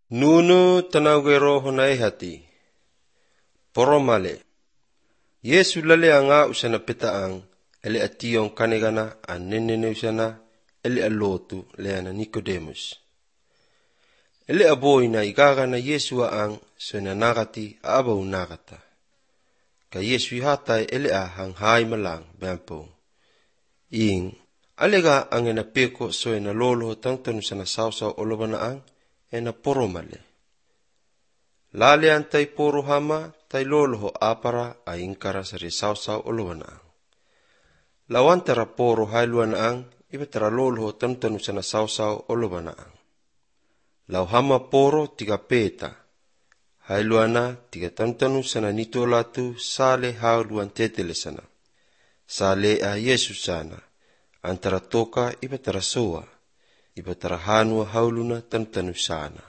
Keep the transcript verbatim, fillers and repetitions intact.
Nunu tanawero honai hati. Poromale. Yesu lale anga usana petaang ele ationg kanegana anenene usana ele alotu leana Nicodemus. Ele aboina igagana Yesu ang sona nagati abau nagata. Ka Yesu ihatai ele a hanghai malang bampo. Ing alega ang ena peko so ena lolo tangtanu sana sausaw olobana ang ena poromale. Lale antai poro hama tai lolo ho apara a ingkara sari sausaw olobana ang. Lawantara poro hailuan ang ibatara lolo ho tangtanu sana sausaw olobana ang. Lau hama poro tiga peta. Hailuana tiga tangtanu sana nitolatu sale hauluan tetele sana. Sale a Yesu sana. Antara toka ibatara soa. Ibatara hanua hauluna tangtanu sana.